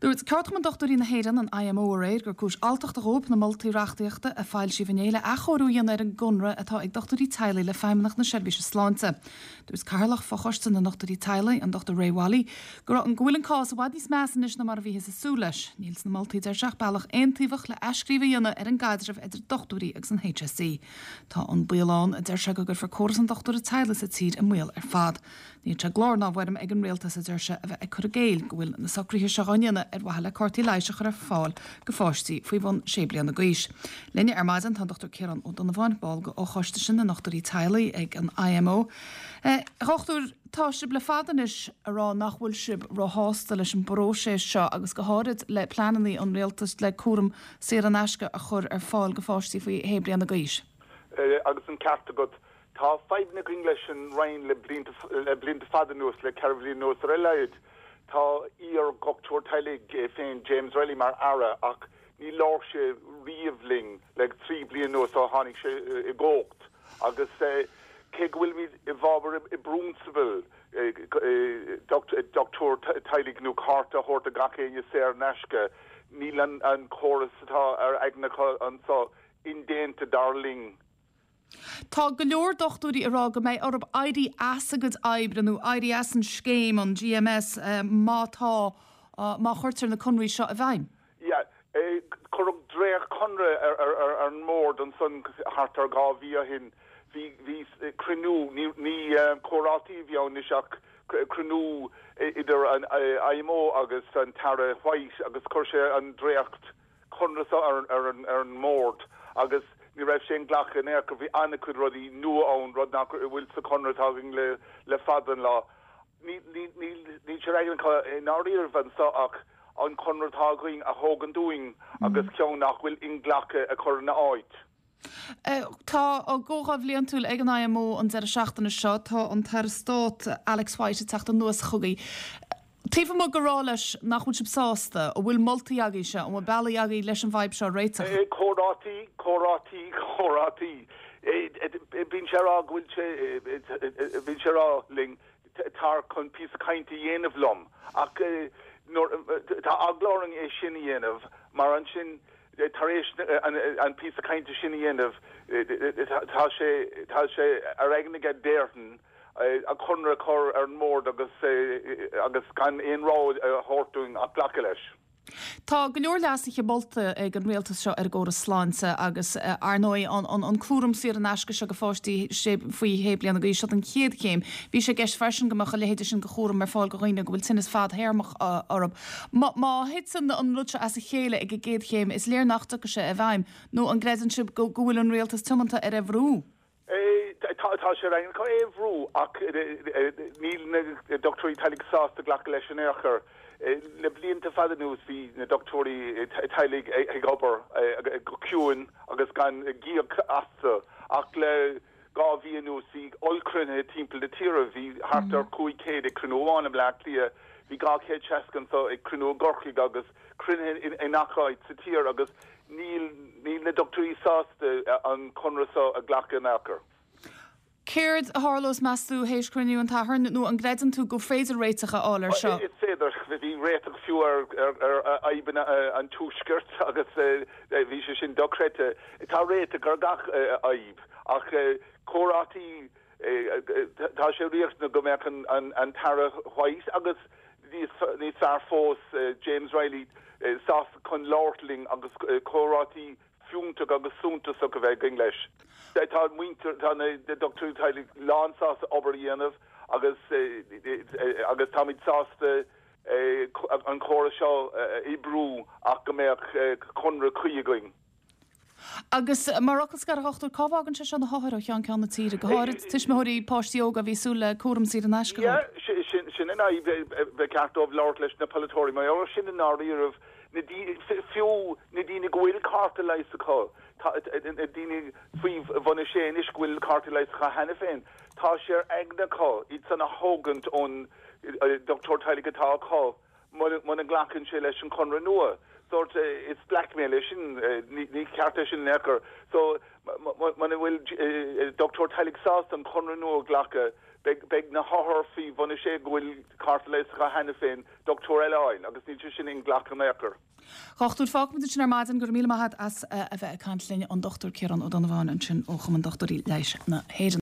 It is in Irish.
Dúirt Ceardchumann Dochtúirí na hÉireann, an IMO, aréir gur cúis alltachta dhóibh na moltaí reachtaíochta a foilsíodh inné le athchóiriú a dhéanamh ar an gconradh atá ag dochtúirí teaghlaigh le Feidhmeannacht na Seirbhíse Sláinte. Dúirt Cathaoirleach Fochoiste na nDochtúirí Teaghlaigh, an Dr Ray Wylie, go raibh go bhfuil an cás i bhfad níos measa anois ná mar a bhíothas ag súil leis. Níl sna moltaí, deir sé, ach bealach aontaobhach le athscríobh a dhéanamh ar an gcaidreamh idir dochtúirí agus an HSE. Tá an baol ann, a deir sé, go gcuirfear córas an dochtúra teaghlaigh sa tír i mbaol ar fad. Níl sé i gclár ná i bhfoirm ag an Rialtas, a deir sé, a bheith ag cur i gcéill go bhfuil na socruithe seo á ndéanamh ar mhaithe le cártaí leighis a chur ar fáil go pháistí faoi bhun sé bliana d'aois. Linne ar maidin tá an Dr Ciarán Ó Donnabháin, ball de fhochoiste sin na ndochtúirí teaghlaigh ag an IMO. A dhochtúir, tá sibh le fada anois ag rá nach bhfuil sibh róshásta leis an bpróiseas seo agus go háirid le pleananna an Rialtais le cúram saor in aisce a chur ar fáil go pháistí faoi shé bliana d'aois. Agus an ceart agat. Tá fadhbanna againn leis an Roinn le blianta, le blianta fada anuas, le 4 bhliain anuas ar a laghad. Tá iar-dhochtúir teaghlaigh é féin, James Reilly, mar Aire ach ní labhair sé riamh linn le 3 bliana anuas ó tháinig sé i gcumhacht. Agus cé go bhfuilimid i bhfabhar i bprionsabal dochtúir teaghlaigh nó cárta a thabhairt do gach éinne saor in aisce, níl an córas atá ar aigne acu anseo indéanta dar linn. Tá go leor dochtúirí ag rá go mbeidh orthu éirí as a gcuid oibre nó éirí as an scéim, an GMS, má tá, má chuirtear na conraí seo i bhfeidhm. Yeah. Cuireadh dréacht-chonradh ar an mbord ansan thart ar 2 mhí ó shin. Bhí, bhí cruinniú, ní, ní comhráití a bhí ann anois ach cruinniú idir an IMO agus an tAire White agus chuir sé an dréacht conradh seo ar an mbord agus ní raibh sé inghlactha in aon chor. Bhí an-chuid rudaí nua ann, rud nach bhfuil sa chonradh atá againn le fada an lá. Níl sé ar aigne acu i ndáiríribh anseo ach an conradh atá againn a thógaint uainn agus ceann nach bhfuil inghlactha a chur ina áit. Tá a gcomhdháil bhliantúil ag an IMO an deireadh seachtaine seo. Tá an tAire Stáit Alex White ag teacht anuas chugaibh. Taobh amuigh de rá leis nach bhfuil sibh sásta, an bhfuil moltaí agaibhse, an bhfuil bealaí agaibh leis an bhfadhb seo a réiteach? Comhráití, comhráití, comhráití. Bíonn sé ag rá go bhfuil sé, bíonn sé ag rá linn tar chun píosa cainte a dhéanamh liom ach nuair, tá eagla orainn é sin a dhéanamh mar ansin tar éis an píosa cainte sin a dhéanamh tá sé, tá sé ar aigne aige déarfainn an conradh a chur ar an mbord agus agus gan aon rogha a thabhairt dúinn ach glacadh leis. Tá go leor leasuithe molta ag an rialtas seo ar an gcóras sláinte agus, ar ndóigh, an cúram saor in aisce seo do pháistí faoi shé bliana d'aois, seo an chéad chéim. Bhí sé i gceist freisin go mbeadh a leithéide sin de chúram ar fáil do dhaoine go bhfuil tinneas fadthéarmach orthu. Má thiteann an rud seo as a chéile ag an gcéad chéim, is léir nach dtiocfaidh sé i bhfeidhm. Nó an gcreideann sibh go bhfuil an rialtas tiomanta ar é a bhrú? Tá sé ar aigne acu é a bhrú ach níl na dochtúirí teaghlaigh sásta glacadh leis in aon chor. Le blianta fada anuas bhí na dochtúirí teaghlaigh ag obair go ciúin agus gan gíog astu ach le 2 mhí anuas bhí ollchruinnithe timpeall na tíre. Bhí thart ar 500 ag cruinniú amháin i mBleá Cliath, bhí 260 anseo ag cruinniú i gCorcaigh agus cruinnithe i ngach áit sa tír agus Níl, níl na dochtúirí sásta an conradh seo a ghlacadh in aon chor. Céard a tharlós, meas tú, théis cruinniú an tSathairn, nó an gcreideann tú gur féidir réiteach a fháil air seo? Is féidir. Bhí réiteach fiú ar fhadhbanna an Tuaiscirt agus bhí sé sin dochreidte. Tá réiteach ar gach fhadhb ach comhráití Tá sé riachtanach go mbeadh an tAire White agus níos fearr fós, James Reilly sásta chun labhairt linn agus comhráití fiúntach agus suntasach a bheith againn leis. Tá muintir, tá na dochtúirí teaghlaigh lán sásta obair a dhéanamh agus agus táimid sásta an córas seo a oibriú ach go mbeadh conradh cuí againn. Agus mar fhocal scoir, a dhochtúir, cá bhfágann sé seo na hothair ó cheann ceann na tíre, go háirid tuismitheoirí páistí óga a bhí ag súil le cúram saor in aisce dóibh? Yeah, sin an fhadhb. Ba cheart dóibh labhairt leis na polaiteoirí mar gheall air sin i ndáiríribh. Na daoine, fiú na daoine go bhfuil cárta leighis acu, na daoine faoi bhun a sé anois go bhfuil cárta leighis acu cheana féin, tá sé ar aigne acu iad san a thógaint ón dochtúir teaghlaigh atá acu. Muna nglacann sé leis an chonradh nua, sórt, is blackmail é sin, ní ceart é sin in aon chor. So, muna bhfuil dochtúir teaghlaigh sásta an conradh nua a ghlacadh, Beidh na hothair faoi bhun 6 go bhfuil cárta leighis acu cheana féin, dochtúir eile a fháil agus níl sé sin inghlactha in aon chor. A dhochtúir, fágfaimid ansin ar maidin. Go raibh míle maith agat as a bheith ag caint linn, an Dr Ciarán Ó Donnabháin ansin ó Chumann Dochtúirí Leighis na hÉireann.